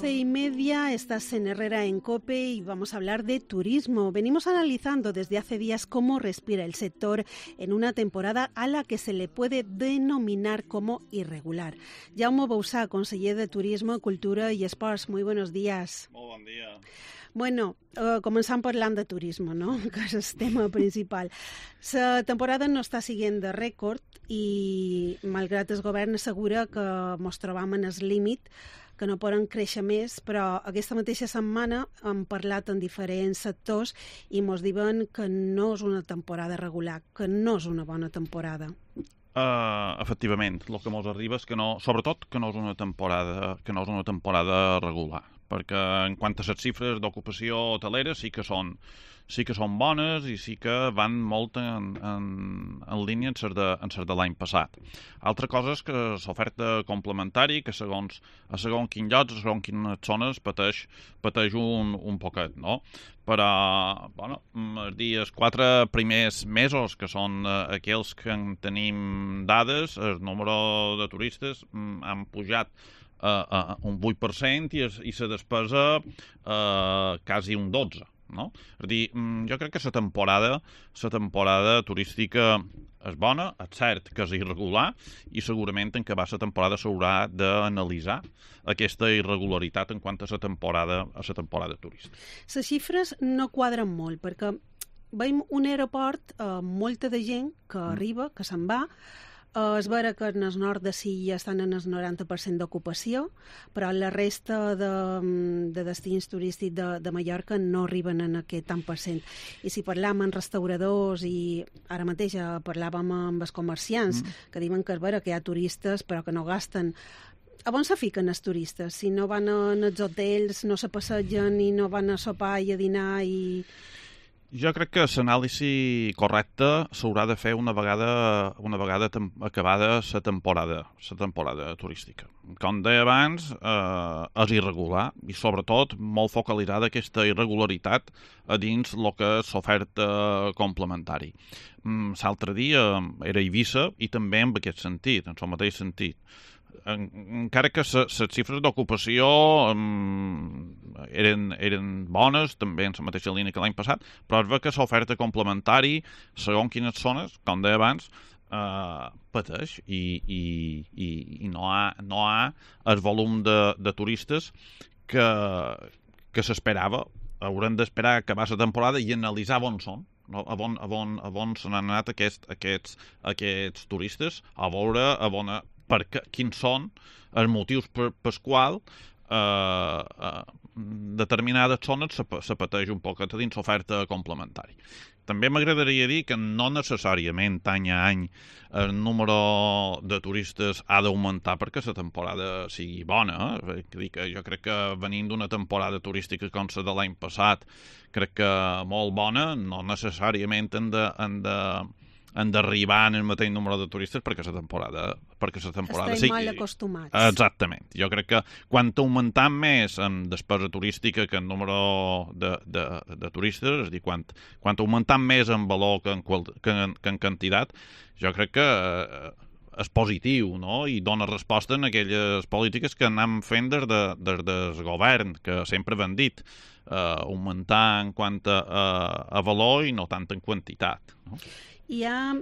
11:30, estás en Herrera en COPE y vamos a hablar de turismo. Venimos analizando desde hace días cómo respira el sector en una temporada a la que se le puede denominar como irregular. Jaume Bouzá, conseller de Turismo, Cultura i Esports. Muy buenos días. Molt bon dia. Bueno, començant parlant de turisme, no? Que és el tema principal. La temporada no està siguent de rècord i, malgrat el govern assegura que ens trobam en el límit, que no poden créixer més, però aquesta mateixa setmana hem parlat en diferents sectors i ens diuen que no és una temporada regular, que no és una bona temporada. Efectivament, el que ens arriba és que no, sobretot que no és una temporada regular, perquè en quant a les xifres d'ocupació hotelera sí que són bones i sí que van molt en línia amb les de l'any passat. Altra cosa és que l'oferta complementari, que segons quin lloc, segons quines zones, pateix un poquet, no? Però, bueno, els 4 primers mesos, que són aquells que en tenim dades, el número de turistes han pujat un 8% i la despesa quasi un 12%. No? És a dir, jo crec que la temporada turística és bona, és cert que és irregular i segurament en acabar la temporada s'haurà d'analitzar aquesta irregularitat en quant a la temporada turística. Les xifres no quadren molt perquè veiem un aeroport amb molta de gent que arriba, que se'n va. És vera que en el nord de Silla estan en el 90% d'ocupació, però la resta de destins turístics de Mallorca no arriben en aquest tant per cent. I si parlàvem amb restauradors i ara mateix parlàvem amb els comerciants, que diuen que és vera que hi ha turistes però que no gasten. A on se fiquen els turistes? Si no van als hotels, no se passegen i no van a sopar i a dinar i... Jo crec que l'anàlisi correcta s'haurà de fer una vegada acabada la temporada turística. Com deia abans, és irregular i sobretot molt focalitzada aquesta irregularitat a dins el que és l'oferta complementari. L'altre dia era Eivissa i també en aquest sentit, en el mateix sentit. Encara que les xifres d'ocupació eren bones, també en la mateixa línia que l'any passat, però es veu que l'oferta complementari, segons quines zones, com deia abans, pateix i no hi ha el volum de turistes que s'esperava. Haurem d'esperar acabar la temporada i analitzar on són. No? A on se n'han anat aquests turistes, a veure quins són els motius pels quals determinades zones se pateix un poc dins l'oferta complementària. També m'agradaria dir que no necessàriament any a any el número de turistes ha d'augmentar perquè la temporada sigui bona. Jo crec que venint d'una temporada turística com la de l'any passat, crec que molt bona, no necessàriament han d'arribar en el mateix número de turistes perquè la temporada estem mal acostumats. Exactament. Jo crec que quan augmentant més en despesa turística que en número de turistes, és a dir, quan augmentant més en valor que en quantitat, jo crec que és positiu, no? I dona resposta en aquelles polítiques que anem fent des del govern, que sempre han dit augmentar en quant a valor i no tant en quantitat, no? Hi ha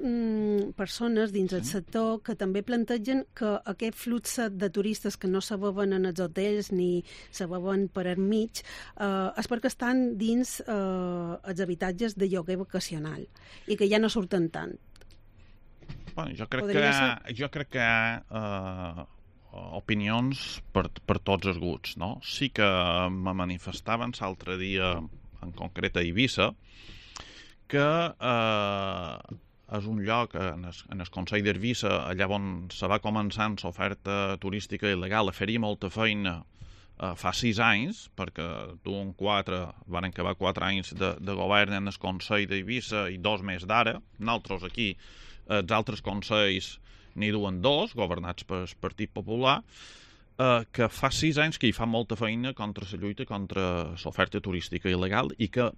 persones dins el sector que també plantegen que aquest flux de turistes que no se veuen en els hotels ni se veuen per enmig és perquè estan dins els habitatges de lloguer vacacional i que ja no surten tant. Bueno, jo crec que hi ha opinions per tots els gusts, no? Sí que me manifestaven l'altre dia, en concret a Eivissa, que és un lloc en el Consell d'Eivissa, allà on se va començar l'oferta turística il·legal, a fer-hi molta feina fa 6 anys, perquè van acabar 4 anys de govern en el Consell d'Eivissa i 2 més d'ara. Nosaltres aquí, els altres consells n'hi duen 2, governats pel Partit Popular, que fa 6 anys que hi fa molta feina contra la lluita contra l'oferta turística il·legal i que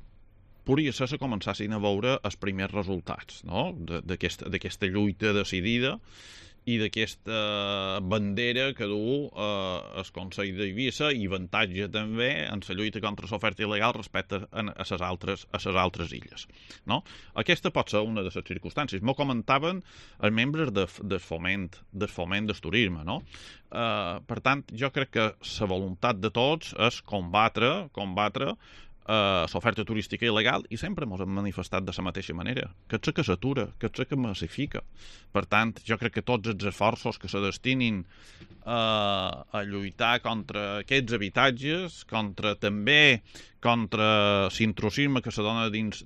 podria ser que començassin a veure els primers resultats, no? d'aquesta lluita decidida i d'aquesta bandera que du el Consell d'Eivissa i avantatge també en la lluita contra l'oferta il·legal respecte a les altres illes. No? Aquesta pot ser una de les circumstàncies. M'ho comentaven els membres del foment del turisme. No? Per tant, jo crec que la voluntat de tots és combatre l'oferta turística il·legal i sempre ens hem manifestat de la mateixa manera, que és que s'atura, que és que massifica. Per tant, jo crec que tots els esforços que se destinin a lluitar contra aquests habitatges, també contra l'intrusisme que se dona dins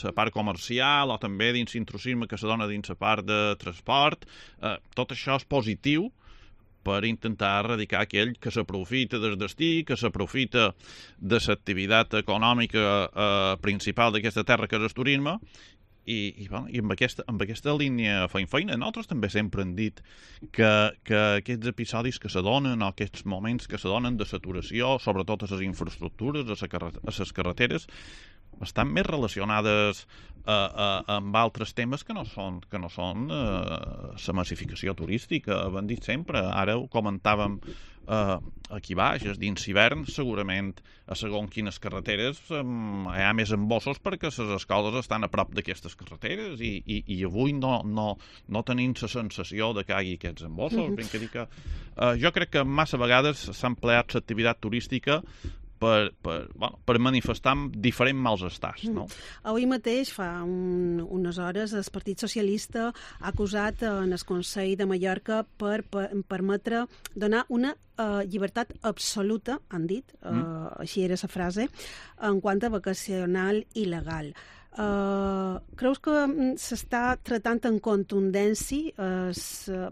la part comercial o també dins l'intrusisme que se dona dins la part de transport, tot això és positiu per intentar erradicar aquell que s'aprofita del destí, que s'aprofita de l'activitat econòmica principal d'aquesta terra, que és el turisme, i amb aquesta línia feina. Nosaltres també sempre hem dit que aquests episodis que se donen, o aquests moments que se donen de saturació, sobretot a les infraestructures, a les carreteres, estan més relacionades amb altres temes que no són la massificació turística. Ho hem dit sempre, ara ho comentàvem aquí baix, dins hivern segurament a segons quines carreteres hi ha més embossos perquè les escoles estan a prop d'aquestes carreteres i avui no tenim la sensació de que hi hagi aquests embossos. Jo crec que massa vegades s'ha empleat l'activitat turística per manifestar diferents malestats. No? Avui mateix, fa unes hores, el Partit Socialista ha acusat en el Consell de Mallorca per permetre donar una llibertat absoluta, han dit, així era la frase, en quant a vacacional il·legal. Creus que s'està tratant en contundència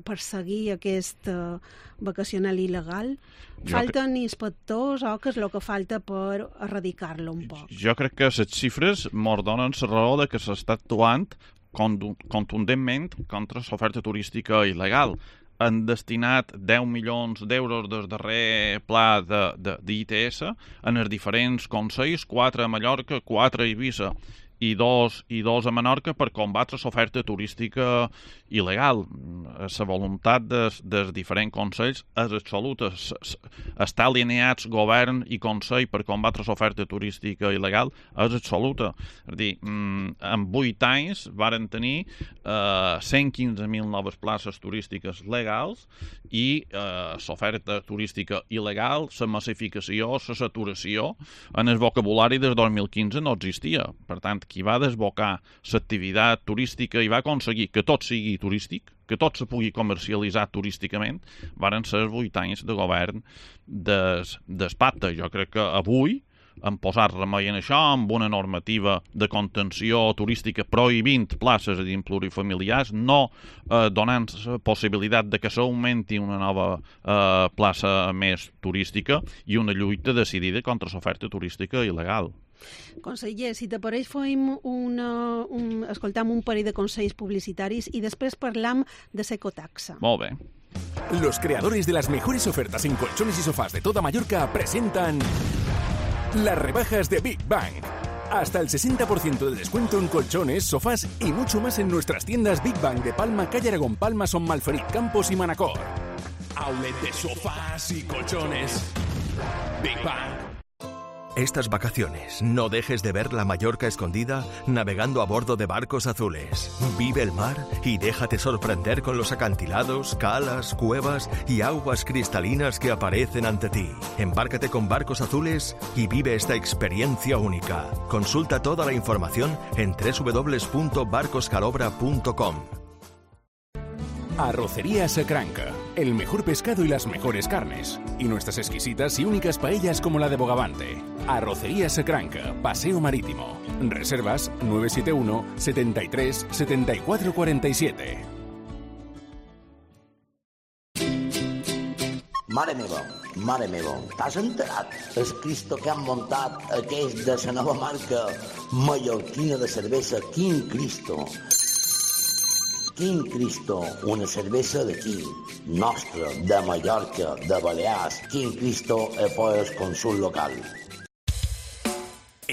perseguir aquest vacacional il·legal? Falten inspectors o què és el que falta per erradicar-lo un poc? Jo crec que les xifres mos donen la raó de que s'està actuant contundentment contra l'oferta turística il·legal. Han destinat 10 milions d'euros del darrer pla d'ITS en els diferents consells, 4 a Mallorca, 4 a Eivissa i dos a Menorca per combatre l'oferta turística il·legal. La voluntat dels diferents consells és absoluta. Estar alineats govern i consell per combatre l'oferta turística il·legal és absoluta. És a dir, en 8 anys varen tenir 115.000 noves places turístiques legals i l'oferta turística il·legal, la massificació, la saturació, en el vocabulari des 2015 no existia. Per tant, qui va desbocar l'activitat turística i va aconseguir que tot sigui turístic, que tot se pugui comercialitzar turísticament, varen ser 8 anys de govern d'espata. Jo crec que avui han posat remei en això amb una normativa de contenció turística prohibint places dins plurifamiliars, no donant possibilitat de que s'augmenti una nova plaça més turística i una lluita decidida contra l'oferta turística il·legal. Conseller, si t'apareix escoltam un parell de consells publicitaris y després parlam de l'ecotaxa. Molt bé. Los creadores de las mejores ofertas en colchones y sofás de toda Mallorca presentan las rebajas de Big Bang. Hasta el 60% de descuento en colchones, sofás y mucho más en nuestras tiendas Big Bang de Palma, Calle Aragón, Palma, Son Malferit, Campos y Manacor. Outlet de sofás y colchones. Big Bang. Estas vacaciones no dejes de ver la Mallorca escondida navegando a bordo de barcos azules. Vive el mar y déjate sorprender con los acantilados, calas, cuevas y aguas cristalinas que aparecen ante ti. Embárcate con barcos azules y vive esta experiencia única. Consulta toda la información en www.barcoscalobra.com. Arrocería Sacranca, el mejor pescado y las mejores carnes. Y nuestras exquisitas y únicas paellas como la de Bogavante. Arrocería Sacranca, Paseo Marítimo. Reservas 971 73 74 47. Mare meva, t'has enterat? El Cristo que han muntat aquells de la nova marca mallorquina de cervesa Quin Cristo. Quin Cristo, una cervesa d'aquí, nostra, de Mallorca, de Balears. Quin Cristo, poi el consul local.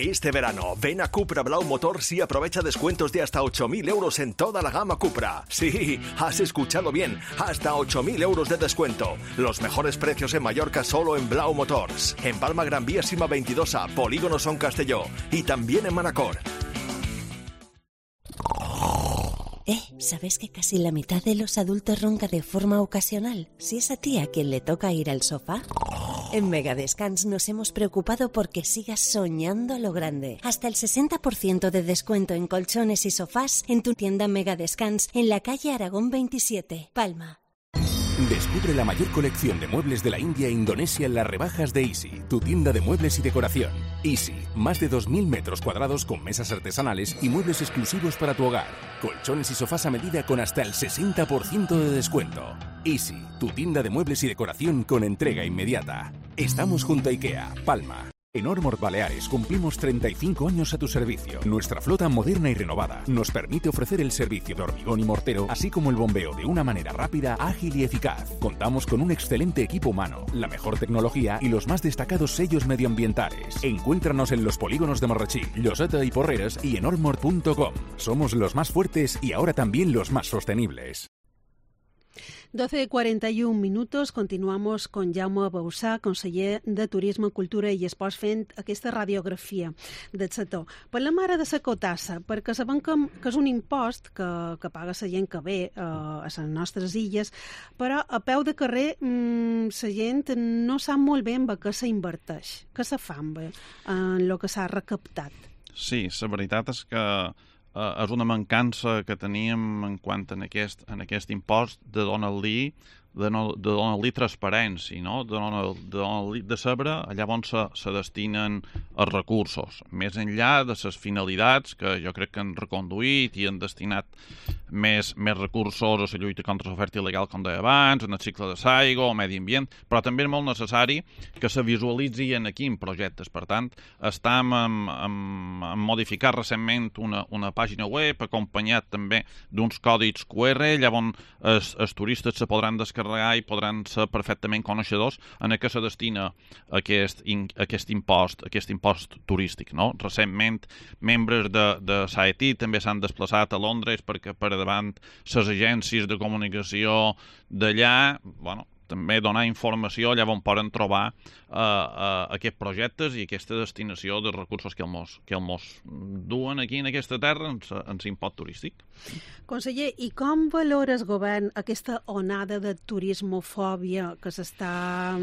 Este verano, ven a Cupra Blau Motors y aprovecha descuentos de hasta 8.000 euros en toda la gama Cupra. Sí, has escuchado bien, hasta 8.000 euros de descuento. Los mejores precios en Mallorca solo en Blau Motors. En Palma Gran Vía Sima 22A, Polígono Son Castelló. Y también en Manacor. ¿Sabes que casi la mitad de los adultos ronca de forma ocasional? Si es a ti a quien le toca ir al sofá. En Megadescans nos hemos preocupado porque sigas soñando a lo grande. Hasta el 60% de descuento en colchones y sofás en tu tienda Megadescans en la calle Aragón 27, Palma. Descubre la mayor colección de muebles de la India e Indonesia en las rebajas de Easy, tu tienda de muebles y decoración. Easy, más de 2.000 metros cuadrados con mesas artesanales y muebles exclusivos para tu hogar. Colchones y sofás a medida con hasta el 60% de descuento. Easy, tu tienda de muebles y decoración con entrega inmediata. Estamos junto a IKEA, Palma. En Ormor Baleares cumplimos 35 años a tu servicio. Nuestra flota moderna y renovada nos permite ofrecer el servicio de hormigón y mortero, así como el bombeo de una manera rápida, ágil y eficaz. Contamos con un excelente equipo humano, la mejor tecnología y los más destacados sellos medioambientales. Encuéntranos en los polígonos de Marratxí, Lloseta y Porreres y en ormor.com. Somos los más fuertes y ahora también los más sostenibles. 12:41, continuamos con Jaume Bausà, conseller de Turisme, Cultura i Esports, fent aquesta radiografia del sector. Parlem ara de la cotassa, perquè sabem que és un impost que paga la gent que ve a les nostres illes, però a peu de carrer la gent no sap molt bé en què s'inverteix, què se fa en el que s'ha recaptat. Sí, la veritat és que és una mancança que teníem en quant a aquest impost de donar-li transparència, no? de saber allà on se destinen els recursos, més enllà de les finalitats que jo crec que han reconduït i han destinat més recursos a la lluita contra l'oferta il·legal, com deia abans, en el cicle de l'aigua o medi ambient, però també és molt necessari que se visualitzin aquí en projectes. Per tant, estem en modificar recentment una pàgina web acompanyat també d'uns còdics QR, allà on els turistes se podran descarregar i podran ser perfectament coneixedors en què se destina aquest impost turístic. No? Recentment, membres de SAETI també s'han desplaçat a Londres perquè per davant les agències de comunicació d'allà, també donar informació allà on poden trobar aquests projectes i aquesta destinació de recursos que els duen aquí en aquesta terra en l'impost turístic. Conseller, i com valora el govern aquesta onada de turismofòbia que s'està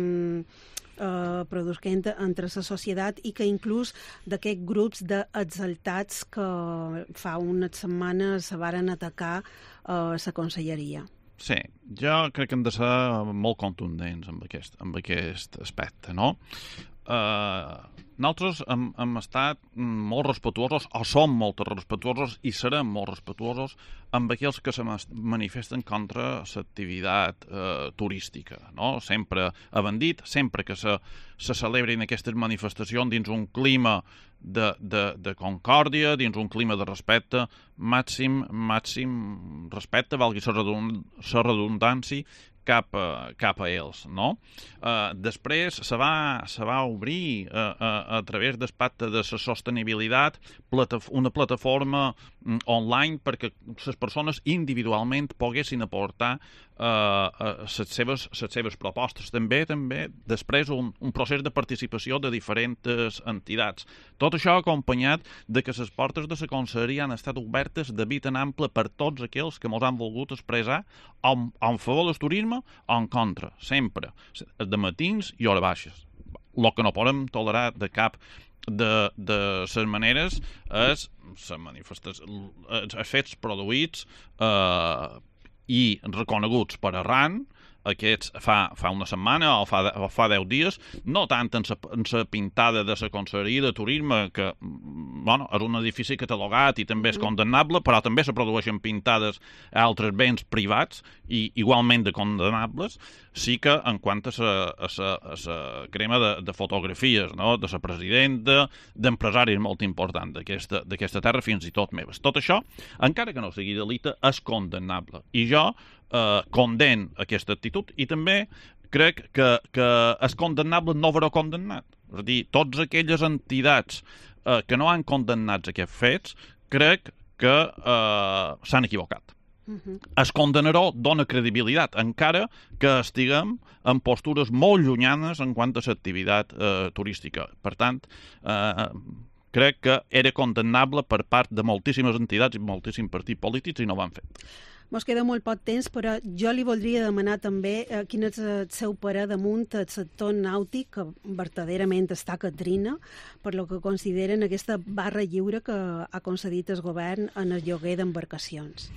produint entre la societat i que inclús d'aquests grups d'exaltats que fa unes setmanes se varen atacar la conselleria? Sí, jo crec que hem de ser molt contundents amb aquest aspecte, no? Nosaltres hem estat molt respetuosos, o som molt respetuosos i serem molt respetuosos amb aquells que se manifesten contra l'activitat turística, no? Sempre hem dit, sempre que se celebrin aquestes manifestacions dins un clima de concòrdia, dins un clima de respecte, màxim respecte, valgui la redundància, cap a ells, no? Després se va obrir a través del pacte de la sostenibilitat una plataforma online perquè les persones individualment poguessin aportar les seves propostes. També després un procés de participació de diferents entitats. Tot això acompanyat de que les portes de la conselleria han estat obertes de vita en ample per tots aquells que ens han volgut expressar en favor del turisme o en contra, sempre, de matins i hores baixes. El que no podem tolerar de cap de les maneres és els fets produïts i reconeguts per arran, aquests fa una setmana o fa 10 dies, no tant en la pintada de la Conselleria de Turisme, que és un edifici catalogat i també és condemnable, però també se produeixen pintades a altres béns privats i igualment de condemnables, sí que en quant a la crema de fotografies, no? De la presidenta, d'empresaris molt importants d'aquesta terra, fins i tot meves. Tot això, encara que no sigui delicte, és condemnable. I jo condemn aquesta actitud i també crec que és condemnable no haver-ho condemnat. És a dir, totes aquelles entitats que no han condemnat aquests fets, crec que s'han equivocat. El condenador dona credibilitat, encara que estiguem en postures molt llunyanes en quant a l'activitat turística. Per tant, crec que era condemnable per part de moltíssimes entitats i moltíssims partits polítics i no ho han fet. Mos queda molt poc temps, però jo li voldria demanar també quin és el seu parer damunt el sector nàutic, que verdaderament està catrina, per lo que consideren aquesta barra lliure que ha concedit el govern en el lloguer d'embarcacions.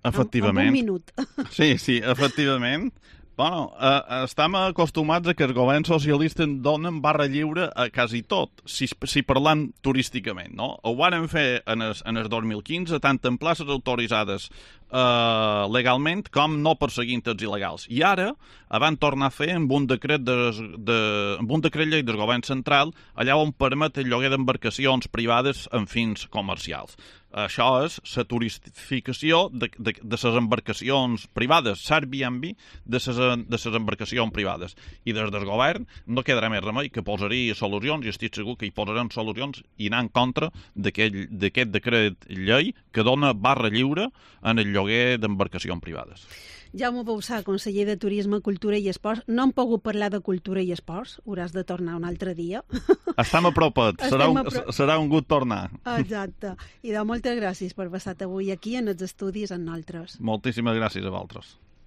Efectivament. En un minut. Sí, efectivament. Bueno, estem acostumats a que els governs socialistes donen barra lliure a quasi tot, si parlant turísticament, no? Ho van fer en el 2015, tant en places autoritzades legalment com no perseguint els il·legals. I ara van tornar a fer amb un decret llei del govern central allà on permet el lloguer d'embarcacions privades en fins comercials. Això és la turistificació de les embarcacions privades, l'Airbnb de les embarcacions privades. I des del govern no quedarà més remei que posaria solucions, i estic segur que hi posarem solucions i anar en contra d'aquest decret llei que dona barra lliure en el lloguer d'embarcacions privades. Jaume Bauzá, conseller de Turisme, Cultura i Esports. No hem pogut parlar de cultura i esports. Hauràs de tornar un altre dia. Estem apropats. Serà un gust tornar. Exacte. I moltes gràcies per passar avui aquí en els estudis amb nosaltres. Moltíssimes gràcies a vosaltres.